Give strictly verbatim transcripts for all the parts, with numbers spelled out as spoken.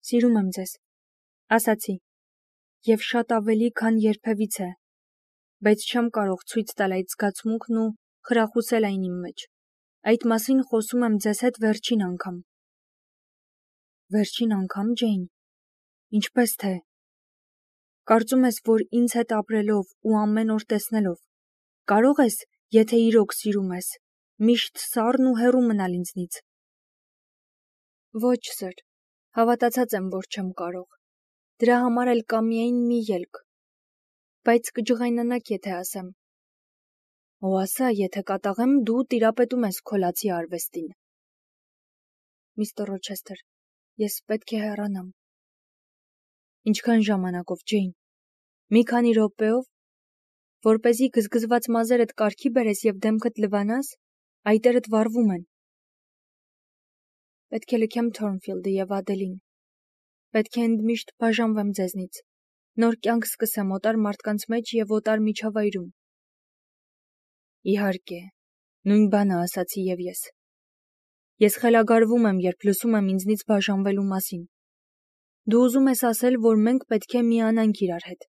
Սիրում եմ ձեզ, ասացի, և շատ ավելի, քան երբևիցե, բայց չեմ կարող ցույց տալ այդ զգացմունքն ու խրախուսել այն իմ մեջ։ Այդ մասին խոսում եմ ձեզ հետ վերջին անգամ։ Վերջին անգամ, Ջեյն։ Ինչպես թե։ Կարծում ես, որ ինձ հետ ապրելով ու ամեն օր տեսնելով, կարող ես, եթե իրոք սիրում ես, միշտ սառն ու հեռու մնալ ինձնից։ Ոչ, սըր, հավատացած եմ, որ չեմ կարող։ Դրա համար էլ կա միայն մի ելք։ Բայց կջղայնանաք, եթե ասեմ։ Ու ասա, եթե կատաղեմ, դու տիրապետում ես քո լացի արվեստին։ Միստր Ռոչեսթեր, ես պետք է հեռանամ։ Ինչքան ժամանակով, Ջեյն։ Մի քանի րոպեով, որպեսզի գզգզված մազերդ կարգի բերես և դեմքդ լվանաս, այտերդ վառվում են։ Պետք է լքեմ Թորնֆիլդը և Ադելին։ Պետք է ընդմիշտ բաժանվեմ ձեզնից։ Նոր կյանք սկսեմ օտար մարդկանց մեջ և օտար միջավայրում։ Իհարկե, նույն բանը ասացի և ես։ Ես խելագարվում եմ, երբ լսում եմ ինձնից բաժանվելու մասին։ Դու ուզում ես ասել, որ մենք պետք է միանանք իրար հետ։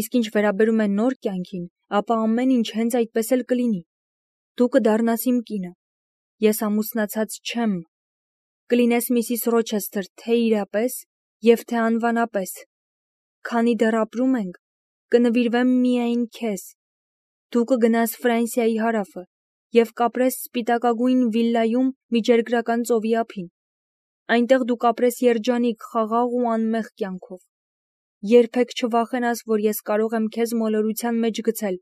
Իսկ ինչ վերաբերում է նոր կյանքին, ապա ամեն ինչ հենց այդպես էլ կլինի։ Դու կդառնաս իմ կինը։ Ես ամուսնացած չեմ։ Կլինես Միսիս Ռոչեսթեր թե իրապես և թե անվանապես։ Քանի դեռ ապրում ենք, կնվիրվեմ միայն քեզ։ Դու կգնաս Ֆրանսիայի հարավը և կապրես սպիտակագույն վիլլայում Միջերգրական ծովի ափին։ Այնտեղ դու կապրես երջանիկ, խաղաղ ու անմեղ կյանքով։ Երբեք չվախենաս, որ ես կարող եմ քեզ մոլորության մեջ գցել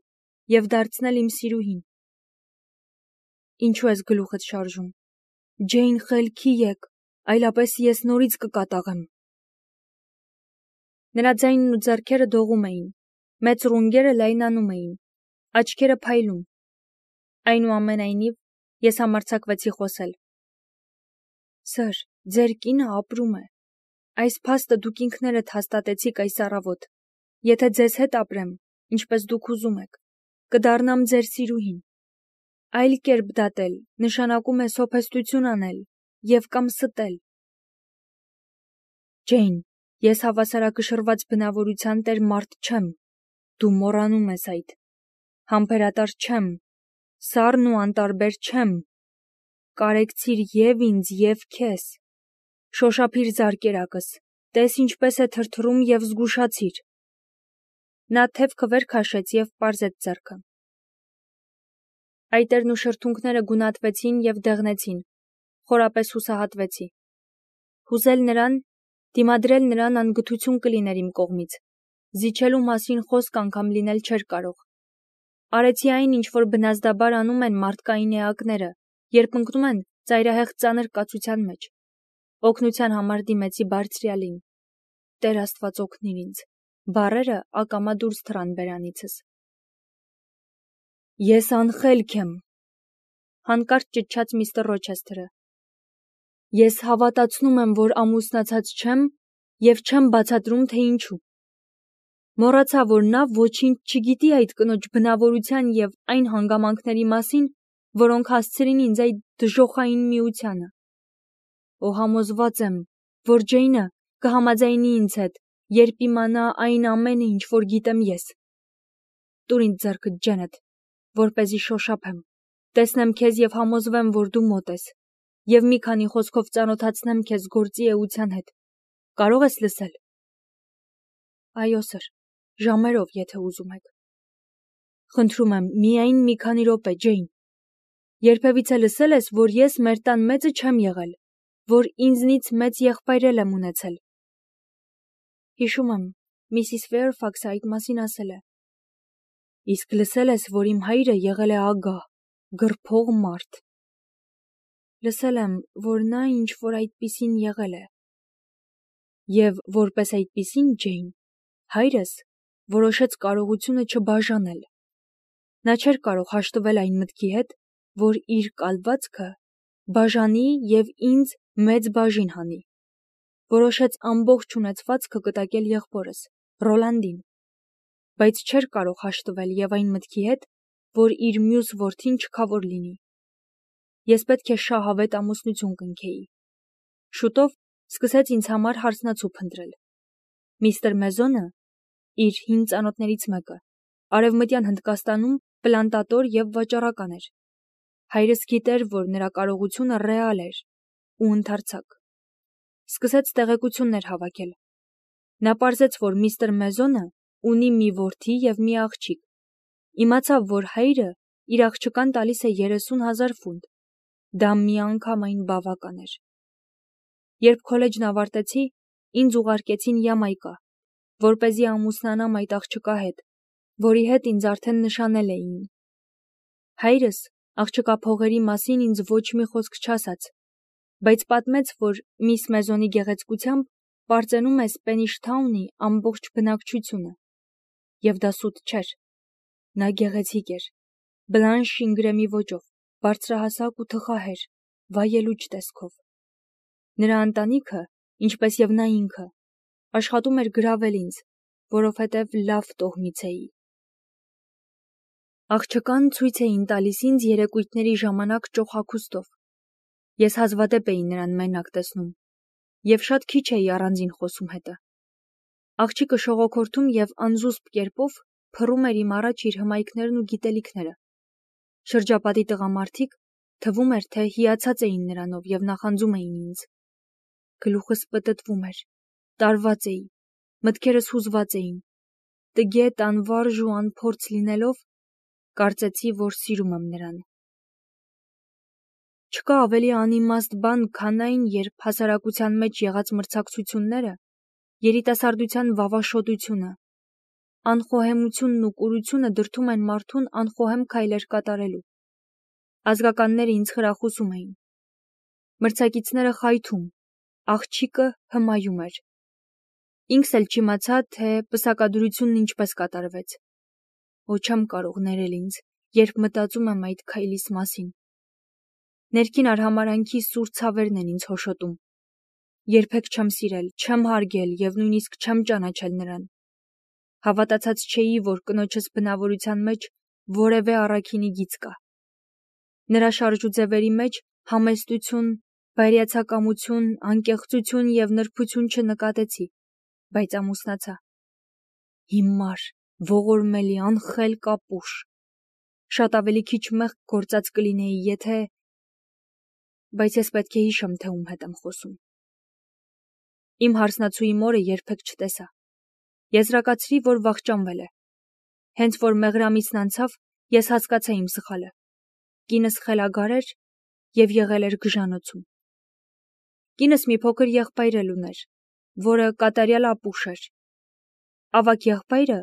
և դարձնել իմ սիրուհին։ Ինչու ես գլուխդ շարժում։ Ջեյն, խելքի եկ, այլապես ես նորից կկատաղեմ։ Նրա ձայնն ու ձեռքերը դողում էին, մեծ ռունգերը լայնանում էին, աչքերը փայլում։ Այնուամենայնիվ, ես համարձակվեցի խոսել։ Սըր, ձեր կինը ապրում է։ Այս փաստը դուք ինքներդ հաստատեցիք այս առավոտ։ Եթե ձեզ հետ ապրեմ, ինչպես դուք ուզում եք, կդառնամ ձեր սիրուհին։ Այլ կերպ դատել նշանակում է սոփեստություն անել և կամ ստել։ Ջեյն, ես հավասարակշռված բնավորության տեր մարդ չեմ։ Դու մոռանում ես այդ։ Համբերատար չեմ։ Սառն ու անտարբեր չեմ։ Կարեկցիր և ինձ, և քեզ։ Շոշափիր զարկերակս, տես ինչպես է թրթռում և զգուշացիր։ Նա թևքը վեր քաշեց և պարզեց ձեռքը։ Այտերն ու շրթունքները գունատվեցին և դեղնեցին, խորապես հուսահատվեցի։ Հուզել նրան, դիմադրել նրան անգթություն կլիներ իմ կողմից, զիջելու մասին խոսք անգամ լինել չէր կարող։ Արեցի այն, ինչ որ բնազդաբար անում են մարդկային էակները, երբ ընկնում են ծայրահեղ ծանր կացության մեջ։ Օգնության համար դիմեցի Բարձրյալին։ Տեր Աստված օգնիր ինձ։ Բառերը ակամա դուրս թռան բերանիցս։ Ես անխելք եմ, հանկարծ ճչաց միստր Ռոչեսթերը։ Ես հավատացնում եմ, որ ամուսնացած չեմ և չեմ բացատրում, թե ինչու։ Մոռացա, որ նա ոչինչ չգիտի այդ կնոջ բնավորության և այն հանգամանքների մասին, որոնք հասցրին ինձ այդ դժոխային միությանը։ Ու համոզված եմ, որ Ջեյնը կհամաձայնի ինձ հետ, երբ իմանա այն ամենը, ինչ որ գիտեմ ես։ Տուր ինձ ձեռքդ, Ջենեթ, որպեսզի շոշափեմ, տեսնեմ քեզ և համոզվեմ, որ դու մոտ ես, և մի քանի խոսքով ծանոթացնեմ քեզ գործի էության հետ։ Կարող ես լսել։ Այո, սըր, ժամերով, եթե ուզում եք։ Խնդրում եմ, միայն մի քանի րոպե, Ջեյն։ Երբևիցե լսել ես, որ ես մեր տան մեծը չեմ եղել, որ ինձնից մեծ եղբայր էլ եմ ունեցել։ Հիշում եմ, Միսիս Ֆեյրֆաքսը այդ մասին ասել է։ Իսկ լսել ես, որ իմ հայրը եղել է ագահ, գրփող մարդ։ Լսել եմ, որ նա ինչ-որ այդպիսին եղել է։ Եվ որպես այդպիսին, Ջեյն, հայրս որոշեց կարողությունը չբաժանել։ Նա չէր կարող հաշտվել այն մտքի հետ, որ իր կալվածքը բաժանի և ինձ մեծ բաժին հանի։ Որոշեց ամբողջ ունեցվածքը կտակել եղբորս, Ռոլանդին, բայց չէր կարող հաշտվել և այն մտքի հետ, որ իր մյուս որդին չքավոր լինի։ Ես պետք է շահավետ ամուսնություն կնքեի։ Շուտով Սկսեց ինձ համար հարցնացու փնտրել։ Միստր Մեզոնը, իր հին ծանոթներից մեկը, Արևմտյան Հնդկաստանում պլանտատոր եւ վաճառական էր։ Հայրս գիտեր, որ նրա կարողությունը ռեալ էր, ու ընդարձակ։ Սկսեց տեղեկություններ հավաքել։ Նա պարզեց, որ միստր Մեզոնը ունի մի որդի եւ մի աղջիկ։ Իմացավ, որ հայրը իր աղջկան տալիս է երեսուն հազար ֆունտ։ Դա միանգամայն բավական էր։ Երբ քոլեջն ավարտեցի, ինձ ուղարկեցին Յամայկա, որպեսզի ամուսնանամ այդ աղջկա հետ, որի հետ ինձ արդեն նշանել էին։ Հայրս աղջկա փողերի մասին ինձ ոչ մի խոսք չասաց, բայց պատմեց, որ միս Մեզոնի գեղեցկությամբ պարծենում է Սպենիշ Թաունի ամբողջ բնակչությունը։ Եվ դա սուտ չէր։ Նա գեղեցիկ էր, բլանշ շինգրեմի ոճով, բարձրահասակ ու թխահեր, վայելուչ տեսքով։ Նրա ընտանիքը, ինչպես եւ նա ինքը, աշխատում էր գրավել ինձ, որովհետև լավ տոհմից էի։ Աղջկան ցույց էին տալիս ինձ երեկույթների ժամանակ ճոխակուստով։ Ես հազվադեպ էի նրան մենակ տեսնում, եւ շատ քիչ էի առանձին խոսում հետը։ Աղջիկը շողոքորթում եւ անզուսպ կերպով փռում էր իմ առաջ իր հմայքներն ու գիտելիքները։ Շրջապատի տղամարդիկ թվում էր, թե հիացած էին նրանով եւ նախանձում էին ինձ։ Գլուխս պտտվում էր, տարված էի, մտքերս հուզված էին։ Տգետ, անվարժ ու անփորձ լինելով, կարծեցի, որ սիրում եմ նրան։ Չկա ավելի անիմաստ բան, քան այն, երբ հասարակության մեջ եղած մրցակցությունները, երիտասարդության վավաշոտությունը, անխոհեմությունն ու կուրությունը դրդում են մարդուն անխոհեմ քայլեր կատարելու։ Ազգականները ինձ խրախուսում էին։ Մրցակիցները խայթում, աղջիկը հմայում էր։ Ինքս էլ չիմացա, թե պսակադրությունն ինչպես կատարվեց։ Ոչ չեմ կարող ներել ինձ, երբ մտածում եմ այդ քայլիս մասին։ Ներքին արհամարանքի սուր ցավերն են ինձ հոշոտում։ Երբեք չեմ սիրել, չեմ հարգել եւ նույնիսկ չեմ ճանաչել նրան։ Հավատացած չէի, որ կնոջս բնավորության մեջ որևէ առաքինի գիծ կա։ Նրա շարժուձևերի մեջ համեստություն, բայրիացակամություն, անկեղծություն եւ նրբություն չնկատեցի, բայց ամուսնացա։ Հիմար, ողորմելի, անխել կապուշ։ Շատ ավելի քիչ մեղք գործած կլինեի, եթե… Բայց ես պետք է հիշեմ, թե ում հետ եմ խոսում։ Իմ հարսնացուի մորը երբեք չտեսա։ Եզրակացրի, որ վախճանվել է։ Հենց որ մեղրամիսն անցավ, ես հասկացա իմ սխալը։ Կինս խելագար էր եւ եղել էր գժանոցում։ Կինս մի փոքր եղբայր էլ ուներ, որը կատարյալ ապուշ էր։ Ավագ եղբայրը,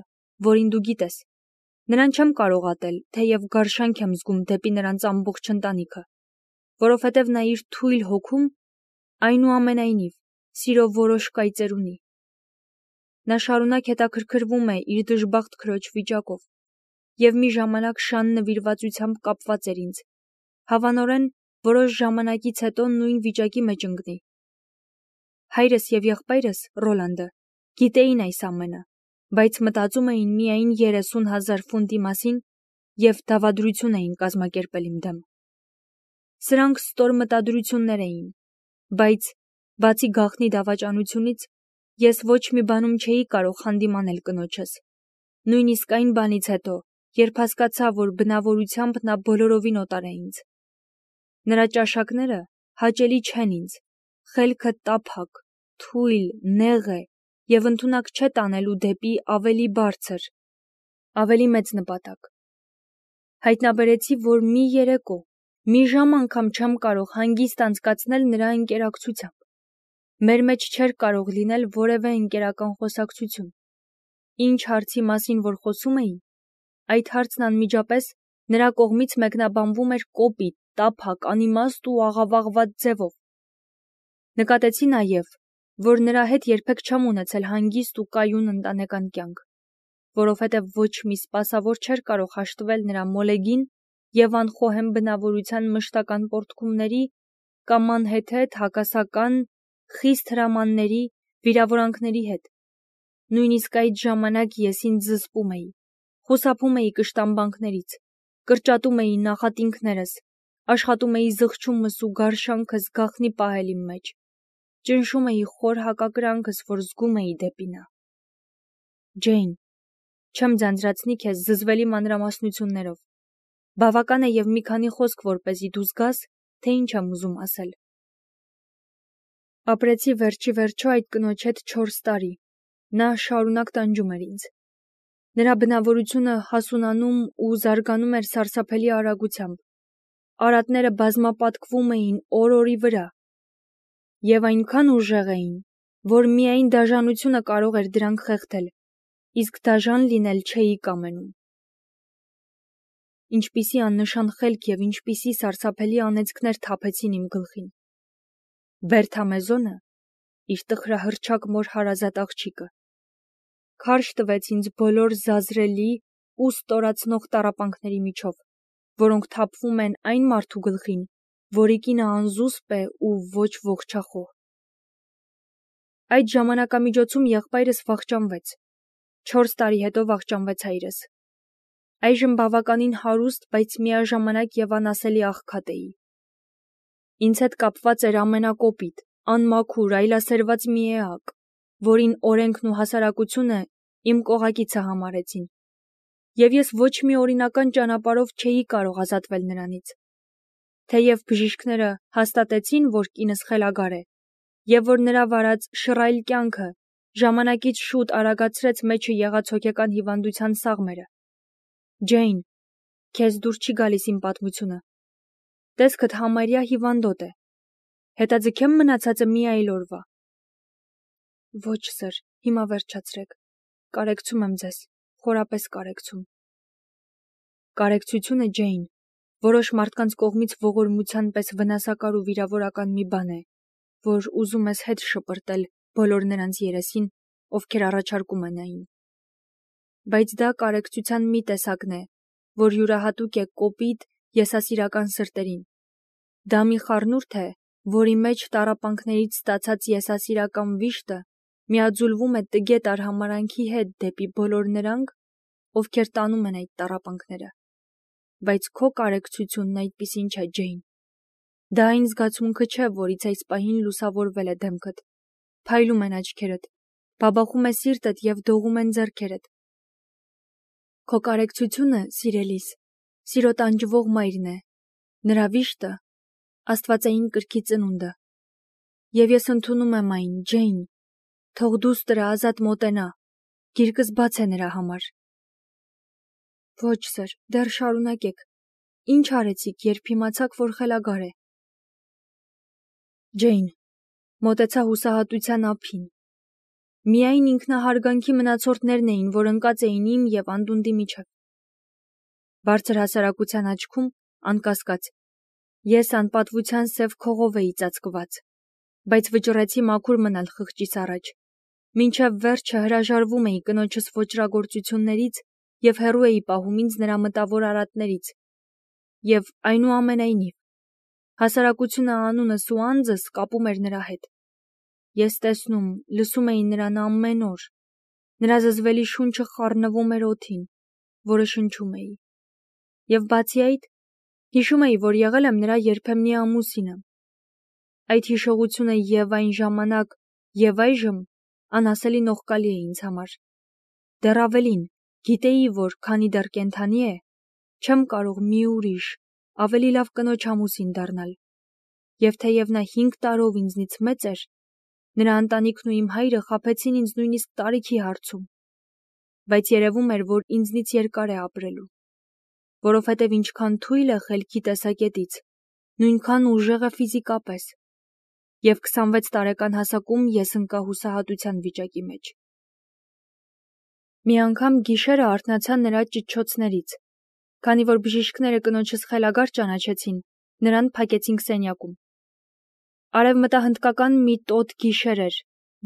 որին դու գիտես, նրան չեմ կարող ատել, թեև գարշանք եմ զգում դեպի նրանց ամբողջ ընտանիքը, որովհետև նա իր թույլ հոգում այնուամենայնիվ սիրո որոշ կայծեր ունի։ Նա շարունակ հետաքրքրվում է իր դժբախտ քրոջ վիճակով եւ մի ժամանակ շան նվիրվածությամբ կապված էր ինձ, հավանորեն որոշ ժամանակից հետո նույն վիճակի մեջ ընկնի։ Հայրս եւ եղբայրս, Ռոլանդը, գիտեին այս ամենը, բայց մտածում էին միայն երեսուն հազար ֆունտի մասին եւ դավադրություն էին կազմակերպել իմ դեմ։ Սրանք ստոր մտադրություններ էին, բայց բացի գաղտնի դավաճանությունից ես ոչ մի բանում չէի կարող հանդիմանել կնոջս։ Նույնիսկ այն բանից հետո, երբ հասկացա, որ բնավորությամբ նա բոլորովին օտար է ինձ։ Նրա ճաշակները հաճելի չեն ինձ, խելքը տափակ, թույլ, նեղ է եւ ընդունակ չէ տանելու դեպի ավելի բարձր, ավելի մեծ նպատակ։ Հայտնաբերեցի, որ մի երեկո, մի ժամ անգամ չեմ կարող հանգիստ անցկացնել նրա ընկերակցությամբ։ Մեր մեջ չէր կարող լինել որևէ ընկերական խոսակցություն։ Ինչ հարցի մասին որ խոսում էի, այդ հարցն անմիջապես նրա կողմից մեկնաբանվում էր կոպիտ, տափակ, անիմաստ ու աղավաղված ձևով։ Նկատեցի նաև, որ նրա հետ երբեք չեմ ունեցել հանգիստ ու կայուն ընտանեկան կյանք, որովհետև ոչ մի սպասավոր չէր կարող հաշտվել նրա մոլեգին եւ անխոհեմ բնավորության մշտական պոռթկումների կամ անհեթեթ հակասական, խիստ հրամանների, վիրավորանքների հետ։ Նույնիսկ այդ ժամանակ ես ինձ զսպում էի, խուսափում էի կշտամբանքներից, կրճատում էի նախատինքներս, աշխատում էի զղջումս ու գարշանքս գաղտնի պահել իմ մեջ։ ճնշում էի խոր հակակրանքս, որ զգում էի դեպի նա։ Ջեյն, չեմ ձանձրացնի քեզ զզվելի մանրամասնություններով։ Բավական է եւ մի քանի խոսք, որպեսզի դու զգաս, թե ինչ եմ ուզում ասել։ Ապրեցի վերջի վերջո այդ կնոջ հետ չորս տարի։ Նա շարունակ տանջում էր ինձ։ Նրա բնավորությունը հասունանում ու զարգանում էր սարսափելի արագությամբ։ Արատները բազմապատկվում էին օր-օրի վրա եւ այնքան ուժեղ էին, որ միայն դաժանությունը կարող էր դրանք խեղդել, իսկ դաժան լինել չէի կամենում։ Ինչպիսի աննշան խելք եւ ինչպիսի սարսափելի անեծքներ թափեցին իմ գլխին։ Բերթամեզոնը, իր տխրահռչակ մոր հարազատ աղջիկը, քարշ տվեց ինձ բոլոր զազրելի ու ստորացնող տառապանքների միջով, որոնք թափվում են այն մարդու գլխին, որի կինը անզուսպ է ու ոչ ողջախոհ։ Այդ ժամանակամիջոցում եղբայրս վախճանվեց։ Չորս տարի հետո վախճանվեց հայրս։ Այժմ բավականին հարուստ, բայց միաժամանակ եւ անասելի աղքատ էի։ Ինձ հետ կապված էր ամենակոպիտ, անմաքուր, այլասերված մի էակ, որին օրենքն ու հասարակությունը իմ կողակիցը համարեցին, եւ ես ոչ մի օրինական ճանապարհով չէի կարող ազատվել նրանից։ Թեև բժիշկները հաստատեցին, որ կինս խելագար է, եւ որ նրա վարած շռայլ կյանքը ժամանակից շուտ արագացրեց մեջը եղած հոգեկան հիվանդության սաղմերը։ Ջեյն, քեզ դուր չի գալիս իմ պատմությունը։ Տեսքդ համարյա հիվանդոտ է։ Հետաձգեմ մնացածը մի այլ օրվա։ Ոչ, սըր, հիմա վերջացրեք։ Կարեկցում եմ ձեզ, խորապես կարեկցում։ Կարեկցությունը, Ջեյն, որոշ մարդկանց կողմից ողորմության պես վնասակար ու վիրավորական մի բան է, որ ուզում ես հետ շպրտել բոլոր նրանց երեսին, ովքեր առաջարկում են այն։ Բայց դա կարեկցության մի տեսակն է, որ յուրահատուկ է կոպիտ, եսասիրական սրտերին։ Դա մի խառնուրդ է, որի մեջ տառապանքներից ստացած եսասիրական վիշտը միաձուլվում է տգետ արհամարանքի հետ դեպի բոլոր նրանք, ովքեր տանում են այդ տառապանքները։ Բայց քո կարեկցությունն այդպիսին չէ, Ջեյն։ Դա այն զգացմունքը չէ, որից այս պահին լուսավորվել է դեմքդ, փայլում են աչքերդ, բաբախում է սիրտդ եւ դողում են ձեռքերդ։ Քո կարեկցությունը, սիրելիս, սիրո տանջվող մայրն է, նրա վիշտը, աստվածային կրքի ծնունդը։ Եվ ես ընդունում եմ այն, Ջեյն, թող դուստրը ազատ մոտենա, գիրկս բաց է նրա համար։ Ոչ, սըր, դեռ շարունակեք։ Ինչ արեցիք, երբ իմացաք, որ խելագար է։ Ջեյն, մոտեցա հուսահատության ափին։ Միայն ինքնահարգանքի մնացորդներն էին, որ ընկած էին իմ եւ անդունդի միջև։ Բարձր հասարակության աչքում, անկասկած, ես անպատվության սև քողով էի ծածկված, բայց վճռեցի մաքուր մնալ խղճիս առաջ, մինչև վերջը հրաժարվում էի կնոջս ոճրագործություններից եւ հեռու էի պահում ինձ նրա մտավոր արատներից, եւ այնուամենայնիվ, հասարակությունը անունս ու անձս կապում էր նրա հետ։ Ես տեսնում, լսում էի նրան ամեն օր, նրա զզվելի շունչը խառնվում էր օդին, որը շնչում էի։ Եվ բացի այդ, հիշում էի, որ եղել եմ նրա երբեմնի ամուսինը։ Այդ հիշողությունը եւ այն ժամանակ, եւ այժմ անասելի նողկալի է ինձ համար։ Դեռ ավելին, գիտեի, որ քանի դեռ կենդանի է, չեմ կարող մի ուրիշ, ավելի լավ կնոջ ամուսին դառնալ։ Եվ թեև նա հինգ տարով ինձնից մեծ էր, նրա ընտանիքն ու իմ հայրը խաբեցին ինձ նույնիսկ տարիքի հարցում, բայց երևում էր, որ ինձնից երկար է ապրելու, որովհետև ինչքան թույլ է խելքի տեսակետից, նույնքան ուժեղ է ֆիզիկապես, եւ քսանվեց տարեկան հասակում ես ընկա հուսահատության վիճակի մեջ։ Մի անգամ գիշերը արթնացա նրա ճչոցներից, քանի որ բժիշկները կնոջս խելագար ճանաչեցին, նրան փակեցինք սենյակում։ Արևմտահնդկական մի տոտ գիշեր էր,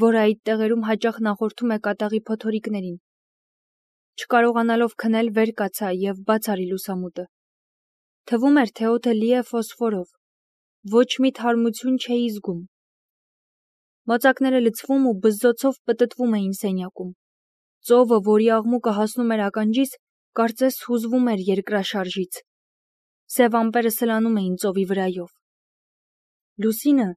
որը այդ տեղերում հաճախ նախորդում է կատաղի փոթորիկներին։ Չկարողանալով քնել վեր կացա եւ բաց արի լուսամուտը։ Թվում էր, թե օդը լի է ֆոսֆորով, ոչ մի թարմություն չէի զգում։ Մոծակները լցվում ու բզզոցով պտտվում էին սենյակում։ Ծովը, որի աղմուկը հասնում էր ականջիս, կարծես հուզվում էր երկրաշարժից։ Սև ամպերը սլանում էին ծովի վրայով։ Լուսինը,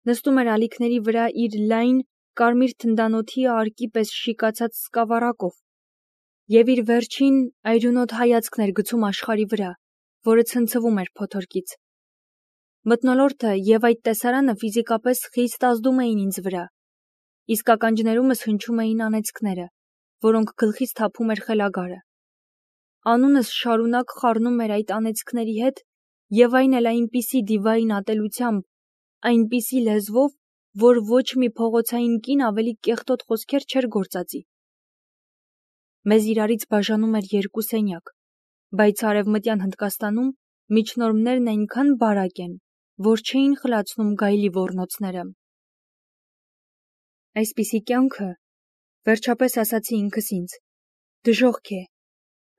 Նստում էր ալիքների վրա իր լայն, կարմիր թնդանոթի արկի պես շիկացած սկավառակով և իր վերջին այրունոտ հայացքն էր գցում աշխարհի վրա, որը ցնցվում էր փոթորկից։ Մթնոլորտը և այդ տեսարանը ֆիզիկապես խիստ ազդում էին ինձ վրա, իսկ ականջներումս հնչում էին անեծքները, որոնք գլխից թափում էր խելագարը։ Անունս շարունակ խառնում էր այդ անեծքների հետ և այն էլ այնպիսի դիվային ատելությամբ, այնպիսի լեզվով, որ ոչ մի փողոցային կին ավելի կեղտոտ խոսքեր չէր գործածի։ Մեզ իրարից բաժանում էր երկու սենյակ, բայց Արևմտյան Հնդկաստանում միջնորմներն այնքան բարակ են, որ չէին խլացնում գայլի ոռնոցները։ Այսպիսի կյանքը, վերջապես ասացի ինքս ինձ, դժոխք է,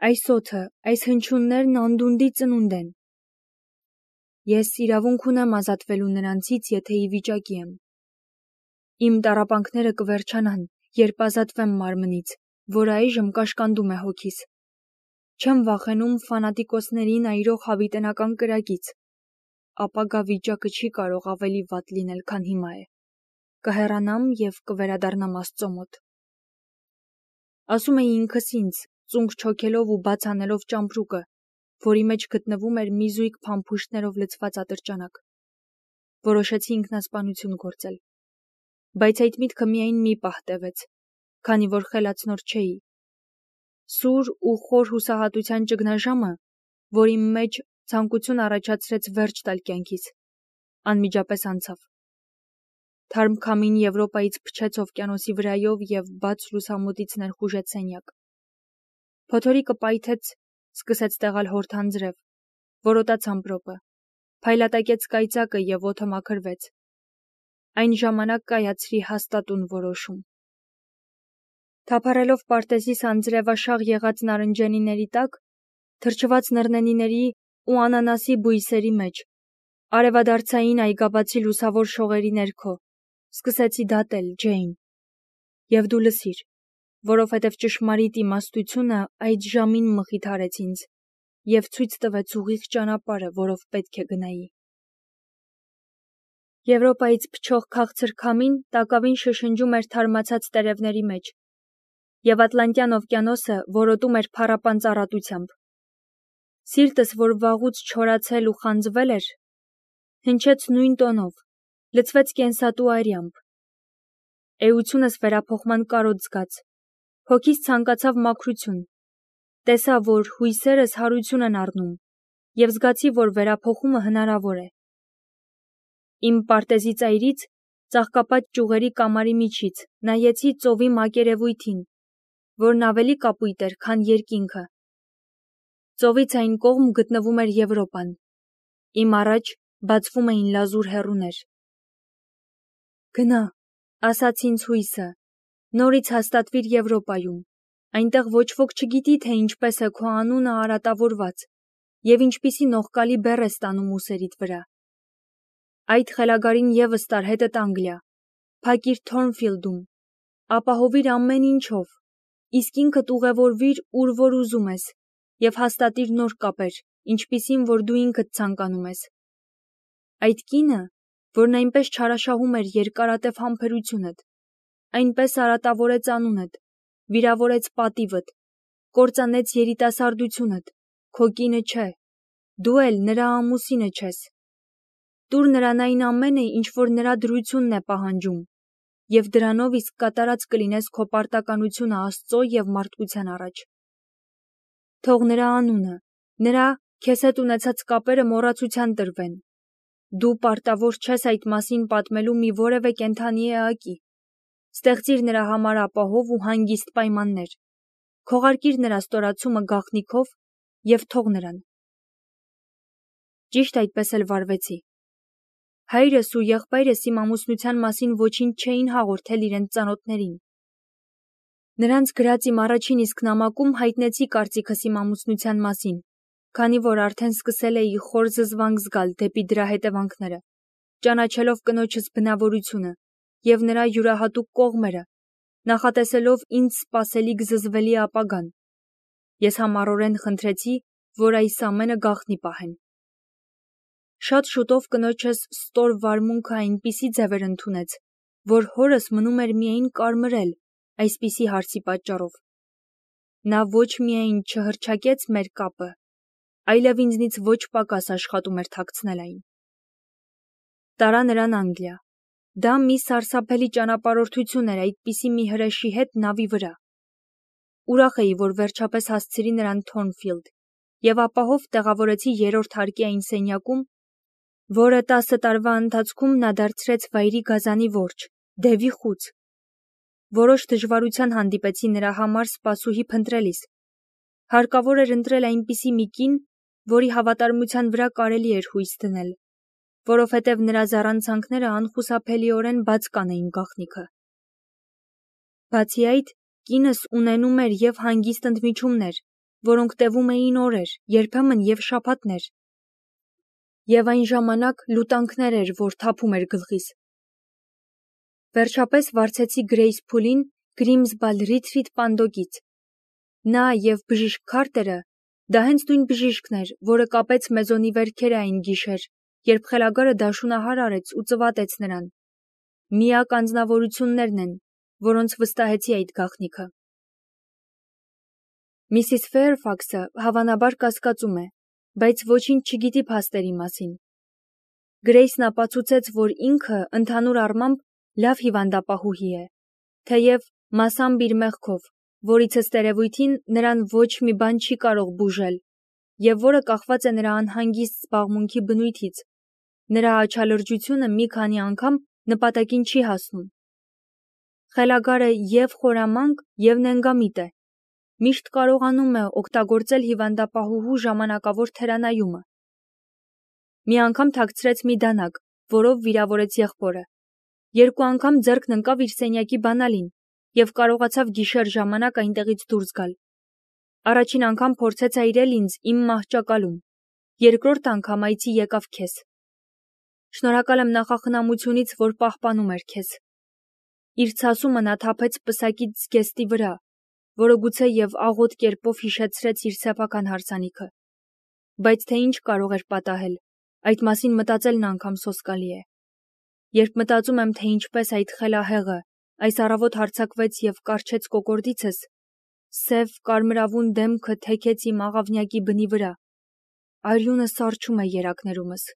այս օդը, այս հնչյուններն անդունդի ծնունդ են։ Ես իրավունք ունեմ ազատվելու նրանցից, եթե ի վիճակի եմ։ Իմ տառապանքները կվերջանան, երբ ազատվեմ մարմնից, որը այժմ կաշկանդում է հոգիս։ Չեմ վախենում ֆանատիկոսներին այրող հավիտենական կրակից։ Ապագա վիճակը չի կարող ավելի վատ լինել, քան հիմա է։ Կհեռանամ և կվերադառնամ Աստծո մոտ։ Ասում էի ինքս ինձ, ծունկ չոքելով ու բաց անելով ճամպրուկը, որի մեջ գտնվում էր մի զույգ փամփուշտներով լցված ատրճանակ։ Որոշեցի ինքնասպանություն գործել։ Բայց այդ միտքը միայն մի պահ տևեց, քանի որ խելացնոր չէի։ Սուր ու խոր հուսահատության ճգնաժամը, որ իմ մեջ ցանկություն առաջացրեց վերջ տալ կյանքիս, անմիջապես անցավ։ Թարմ քամին Եվրոպայից փչեց օվկիանոսի վրայով և բաց լուսամուտից ներխուժեց սենյակ։ Փոթորիկը պայթեց, սկսեց տեղալ հորթանձրև, որոտաց ամպրոպը, փայլատակեց կայծակը և օդը մաքրվեց։ Այն ժամանակ կայացրի հաստատուն որոշում։ Թափառելով պարտեզիս անձրևաշաղ եղած նարնջենիների տակ, թրջված նռնենիների ու անանասի բույսերի մեջ, արևադարձային այգաբացի լուսավոր շողերի ներքո, սկսեցի դատել, Ջեյն, և դու լսիր, որովհետև ճշմարիտ իմաստությունը այդ ժամին մխիթարեց ինձ և ցույց տվեց ուղիղ ճանապարհը, որով պետք է գնայի։ Եվրոպայից փչող քաղցր քամին տակավին շշնջում էր թարմացած տերևների մեջ, և Ատլանտյան օվկիանոսը որոտում էր փառապան ծառատությամբ։ Սիրտս, որ վաղուց չորացել ու խանձվել էր, հնչեց նույն տոնով, լցվեց կենսատու արյամբ։ Էությունս վերափոխման կարոտ զգաց, հոգիս ցանկացավ մաքրություն, տեսա, որ հույսերս հարություն են առնում, և զգացի, որ վերափոխումը հնարավոր է։ Իմ պարտեզի ծայրից, ծաղկապատ ճյուղերի կամարի միջից, նայեցի ծովի մակերևույթին, որն ավելի կապույտ էր, քան երկինքը։ Ծովից այն կողմ գտնվում էր Եվրոպան։ Իմ առաջ բացվում էին լազուր հեռուներ։ Գնա, ասաց ինձ հույսը, նորից հաստատվիր Եվրոպայում, այնտեղ ոչ ոք չգիտի, թե ինչպես է քո անունը արատավորված և ինչպիսի նողկալի բեռ է ստանում ուսերիդ վրա։ Այդ խելագարին ևս տար հետդ Անգլիա, փակիր Թորնֆիլդում, ապահովիր ամեն ինչով, իսկ ինքդ ուղևորվիր, ուր որ ուզում ես, և հաստատիր նոր կապեր, ինչպիսին, որ դու ինքդ ցանկանում ես։ Այդ կինը, որն այնպես չարաշահում էր երկարատև համբերությունդ, այնպես արատավորեց անունդ, վիրավորեց պատիվդ, կործանեց երիտասարդությունդ, քո կինը չէ, դու էլ նրա ամուսինը չես։ Տուր նրան այն ամենը, ինչ որ նրա դրությունն է պահանջում, և դրանով իսկ կատարած կլինես քո պարտականությունը Աստծո և մարդկության առաջ։ Թող նրա անունը, նրա քեզ հետ ունեցած կապերը մոռացության տրվեն։ Դու պարտավոր չես այդ մասին պատմելու մի որևէ կենդանի էակի։ Ստեղծիր նրա համար ապահով ու հանգիստ պայմաններ։ Քողարկիր նրա ստորացումը գաղտնիքով և թող նրան։ Ճիշտ այդպես էլ վարվեցի։ Հայրս ու եղբայրս իմ ամուսնության մասին ոչինչ չէին հաղորդել իրենց ծանոթներին։ Նրանց գրած իմ առաջին իսկ նամակում հայտնեցի կարծիքս իմ ամուսնության մասին, քանի որ արդեն սկսել էի խոր զզվանք զգալ դեպի դրա հետևանքները, ճանաչելով կնոջս բնավորությունը և նրա յուրահատուկ կողմերը, նախատեսելով ինձ սպասելիք զզվելի ապագան։ Ես համառորեն խնդրեցի, որ այս ամենը գաղտնի պահեն։ Շատ շուտով կնոջս ստոր վարմունքը այնպիսի ձևեր ընդունեց, որ հորս մնում էր միայն կարմրել այսպիսի հարցի պատճառով։ Նա ոչ միայն չհռչակեց մեր կապը, այլև ինձնից ոչ պակաս աշխատում էր թաքցնել այն։ Տարա նրան Անգլիա։ Դա մի սարսափելի ճանապարհորդություն էր այդպիսի մի հրեշի հետ նավի վրա։ Ուրախ էի, որ վերջապես հասցրի նրան Թորնֆիլդ և ապահով տեղավորեցի երրորդ հարկի այն սենյակում, որը տասը տարվա ընթացքում նա դարձրեց վայրի գազանի որջը, դևի խուց։ Որոշ դժվարության հանդիպեցի նրա համար սպասուհի փնտրելիս։ Հարկավոր էր ընտրել այնպիսի մի կին, որի հավատարմության վրա կարելի էր հույս դնել, որովհետև նրա զառանցանքները անխուսափելիորեն բաց կանեին գաղտնիքը։ Բացի այդ, կինս ունենում էր և հանգիստ ընդմիջումներ, որոնք տևում էին օրեր, երբեմն և շաբաթներ, և այն ժամանակ լուտանքներ էր, որ թափում էր գլխիս։ Վերջապես վարձեցի Գրեյս Փուլին Գրիմսբալ Ռիթրիթ պանդոկից։ Նա և բժիշկ Քարտերը, դա հենց նույն բժիշկն էր, որը կապեց Մեզոնի վերքերը այն գիշեր, երբ խելագարը դաշունահար արեց ու ծվատեց նրան, միակ անձնավորություններն են, որոնց վստահեցի այդ գաղտնիքը։ Միսիս Ֆեյրֆաքսը հավանաբար կասկածում է, բայց ոչինչ չգիտի փաստերի մասին։ Գրեյսն ապացուցեց, որ ինքը ընդհանուր առմամբ լավ հիվանդապահուհի է, թեև մասամբ իր մեղքով, որից ըստ երևույթին նրան ոչ մի բան չի կարող բուժել, և որը կախված է նրա անհանգիստ զբաղմունքի բնույթից, նրա աչալրջությունը մի քանի անգամ նպատակին չի հասնում։ Խելագարը և խորամանկ, և նենգամիտ է, միշտ կարողանում է օգտագործել հիվանդապահուհու ժամանակավոր թերանայումը։ Մի անգամ թաքցրեց մի դանակ, որով վիրավորեց եղբորը։ Երկու անգամ ձեռքն ընկավ իր սենյակի բանալին և կարողացավ գիշեր ժամանակ այնտեղից դուրս գալ։ Առաջին անգամ փորձեց այրել ինձ իմ մահճակալում, երկրորդ անգամ այցի եկավ քեզ։ Շնորհակալ եմ նախախնամությունից, որ պահպանում էր քեզ։ Իր ցասումը նա թափեց պսակից զգեստի վրա, որը գուցե և աղոտ կերպով հիշեցրեց իր սեփական հարսանիքը։ Բայց թե ինչ կարող էր պատահել, այդ մասին մտածելն անգամ սոսկալի է։ Երբ մտածում եմ, թե ինչպես այդ խելահեղը այս առավոտ հարձակվեց և կառչեց կոկորդիցս, սև կարմրավուն դեմքը թեքեց իմ աղավնյակի բնի վրա, արյունը սառչում է երակներումս։